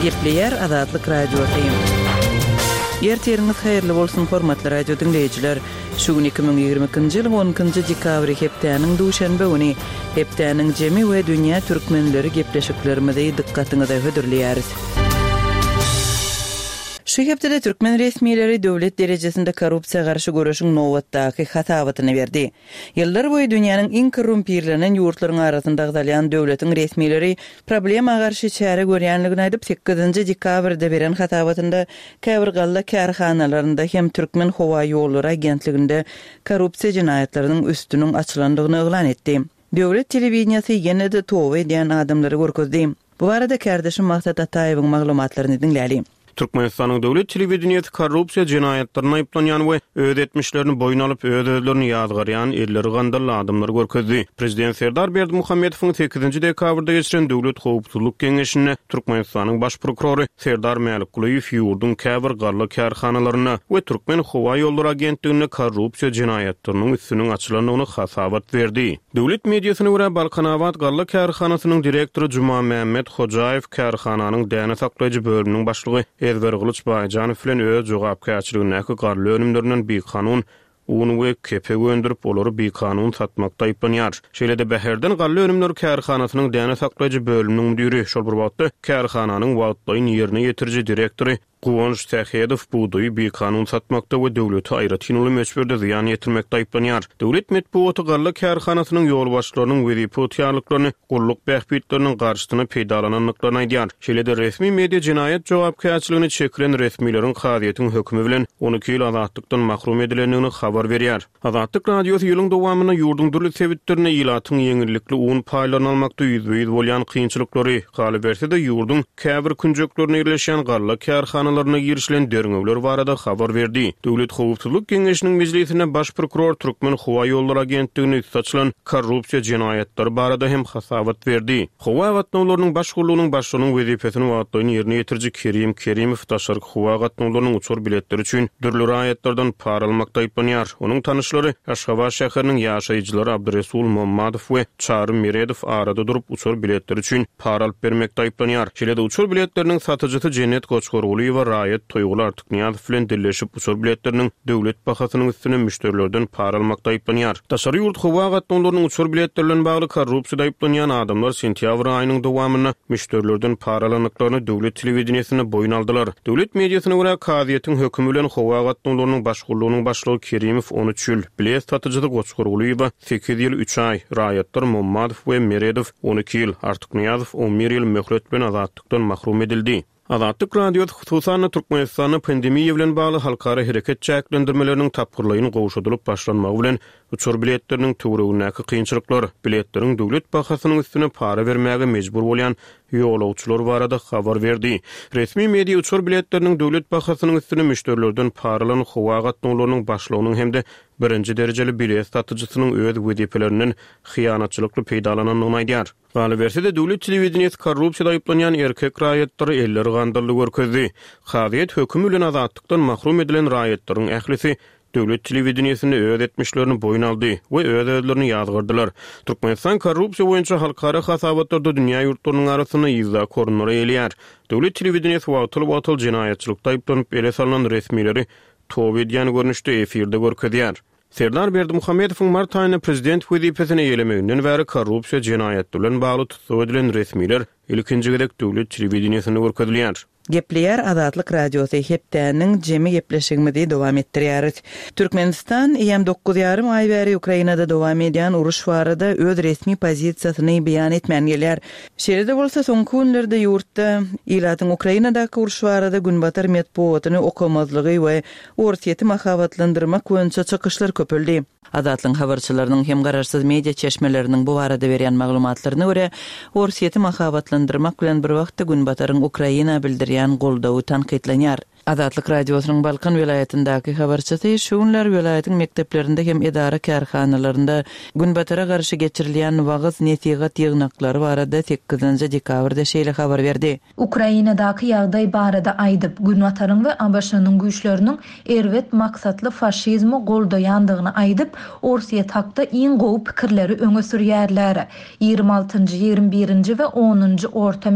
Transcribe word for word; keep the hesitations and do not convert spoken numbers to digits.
Gepleýär Azatlyk Radiosy. Ertiriňiz haýyrly bolsun, hormatly radio diňleýjiler. Şu gün iki müň ýigrimi ikinji ýylyň on ikinji dekabry hepdäniň duşenbe güni. Hepdäniň jemi we dünýä türkmenleri gepleşiklerimizi dykgatyňyza hödürleýäris. Şu hepdede türkmen resmileri döwlet derejesinde korrupsiýa garşy göreşiň nobatdaky hasabatyny berdi. Ýyllar boýy dünýäniň iň korrumpirlenen ýurtlaryň arasynda agzalýan döwletiň resmileri problema garşy çäre görýänligini aýdyp, sekizinji dekabrda beren hasabatynda käbir galla kärhanalarynda hem Türkmen howa ýollary agentliginde korrupsiýa jenaýatlarynyň üstüniň açylandygyny yglan etdi. Döwlet telewideniýesi ýene-de toba edýän adamlary görkezdi. Bu barada kärdeşim Maksat Ataýewiň maglumatlaryny diňläli. Türkmenistanyň döwlet telewideniýesi korrupsiýa jenaýatlaryna aýyplanýan we öz etmişlerini boýun alyp, öz-özlerini ýazgarýan elleri gandally adamlary görkezdi. Prezident Serdar Berdimuhamedowyň sekizinji dekabrda geçiren Döwlet howpsuzlyk geňeşinde Türkmenistanyň baş prokurory Serdar Mälikgulyýew ýurduň käbir galla kärhanalarynda we Türkmen howa ýollary agentliginde korrupsiýa jenaýatlarynyň üstüniň açylandygyny hasabat berdi. Döwlet mediasyna görä, Balkanabat galla kärhanasynyň direktory Jumamämmet Hojaýew kärhananyň däne saklaýjy bölüminiň başlygy Ezbergylyç Baýjanow bilen öz jogapkärçiligindäki galla önümlerinden bikanun un we kepek öndürip, olary bikanun satmakda aýyplanýar. Şeýle-de Bäherden galla önümleri kärhanasynyň däne saklaýjy bölüminiň müdiri, şol bir wagtda kärhananyň wagtlaýyn ýerine ýetiriji direktory Guwanç Sähedow bugdaýy bikanun satmakda we döwlete aýratyn uly möçberde zyýan ýetirmekde aýyplanýar. Döwlet metbugaty galla kärhanasynyň ýolbaşçylarynyň wezipe ygtyýarlyklaryny gulluk bähbitleriniň garşysyna peýdalanandyklaryny aýdýar. Şeýle-de resmi media jenaýat jogapkärçiligini çekilen resmileriň kazyýetiň hökümi bilen on iki ýyl azatlykdan mahrum edilendigini habar berýär. Azatlyk Radiosy ýylyň dowamynda ýurduň dürli sebitlerinde ilatyň ýeňillikli un paýlaryny almakda ýüzbe-ýüz bolýan kynçylyklary, galyberse-de ýurduň käbir künjeklerinde ýerleşýän galla kärhanalaryna girişilen derňewler barada habar berdi. Döwlet howpsuzlyk geňeşiniň mejlisinde baş prokuror Türkmen howa ýollary agentligine üsti açylan korrupsiýa jenaýatlary barada hem hasabat berdi. Howa gatnawlarynyň baş gullugynyň başlygynyň wezipesini wagtlaýyn ýerine ýetiriji Kerim Kerimow daşarky howa gatnawlarynyň uçar biletleri üçin dürli raýatlardan para almakda aýyplanýar. Onuň tanyşlary Aşgabat şäheriniň ýaşaýjylary Abdyresul Mommadow we Çary Meredow arada durup uçar biletleri üçin para alyp bermekde aýyplanýar. Şeýle-de uçar biletleriniň satyjysy Jennet Goçgargulyýewa raýat Toýguly Artyknyýazow bilen dilleşip uçar biletleriniň döwlet bahasynyň üstüne müşderilerden para almakda aýyplanýar. Daşary ýurt howa gatnawlarynyň uçar biletleri bilen bagly korrupsiýada aýyplanýan adamlar sentýabr aýynyň dowamynda müşderilerden para alandyklaryny döwlet telewideniýesinde boýun aldylar. Döwlet mediasyna görä, kazyýetiň hökümi bilen howa gatnawlarynyň baş gullugynyň başlygy Kerimow on üç ýyl, bilet satyjysy Goçgargulyýewa sekiz ýyl üç aý, raýatlar Mommadow we Meredow on iki ýyl, Artyknyýazow on bir ýyl möhlet bilen azatlykdan mahrum edildi. Azatlyk Radiosy hususan-da Türkmenistanda pandemiýa bilen bagly halkara hereket çäklendirmeleriniň tapgyrlaýyn gowşadylyp başlanmagy bilen uçar biletleriniň töweregindäki kynçylyklar, biletleriň döwlet bahasynyň üstüne para bermäge mejbur bolýan ýolagçylar barada habar berdi. Resmi media uçar biletleriniň döwlet bahasynyň üstüne müşderilerden para alan howa gatnawlarynyň başlygynyň hem-de birinji derejeli bilet satyjysynyň öz wezipelerinden hyýanatçylykly peýdalanandygyny aýdýar. Galyberse-de döwlet telewideniýesi korrupsiýada aýyplanýan erkek raýatlary elleri gandally görkezdi. Kazyýet hökümi bilen azatlykdan mahrum edilen raýatlaryň ählisi döwlet telewideniýesinde öz etmişlerini boýun aldy we öz-özlerini ýazgardylar. Türkmenistan korrupsiýa boýunça halkara hasabatlarda dünýä ýurtlarynyň arasynda ýyzdaky orunlary eýeleýär. Döwlet telewideniýesi wagtal-wagtal jenaýatçylykda aýyplanyp ele salynan resmileri toba edýän görnüşde efirde görkezýär. Serdar Berdimuhamedowyň mart aýynda prezident wezipesini eýelemeginden bäri korrupsiýa jenaýatlary bilen bagly tussag edilen resmiler ilkinji gezek döwlet telewideniýesinde görkezilýär. Gepleýär Azatlyk Radiosy hepdäniň jemi gepleşigimizi dowam etdirýäris. Türkmenistan eýem dokuz ýarym aý bäri Ukrainada dowam edýän uruş barada öz resmi pozisiýasyny beýan etmän gelýär. Şeýle-de bolsa soňky günlerde ýurtda ilatyň Ukrainadaky uruş barada günbatar metbugatyny okamazlygy we Orsýeti mahabatlandyrmak boýunça çykyşlar köpeldi. Azatlyk habarçylarynyň hem garaşsyz media çeşmeleriniň bu barada berýän maglumatlaryna görä, Orsýeti mahabatlandyrmak bilen bir wagtda günbataryň Ukraina bildirýän goldawy tankytlanýar. Azatlyk Radiosynyň Balkan welaýatyndaky habarçysy şu günler welaýatyň mekdeplerinde hem edara kärhanalarynda günbatara garşy geçirilýän wagyz nesihat ýygnaklary barada sekizinji dekabrda şeýle habar berdi. Ukrainadaky ýagdaý barada aýdyp, Günbataryň we A B Ş-nyň güýçleriniň erbet maksatly faşizmi goldaýandygyny aýdyp, Orsýet hakda iň gowy pikirleri öňe sürýärler. Ýigrimi altynjy, ýigrimi birinji we onunjy orta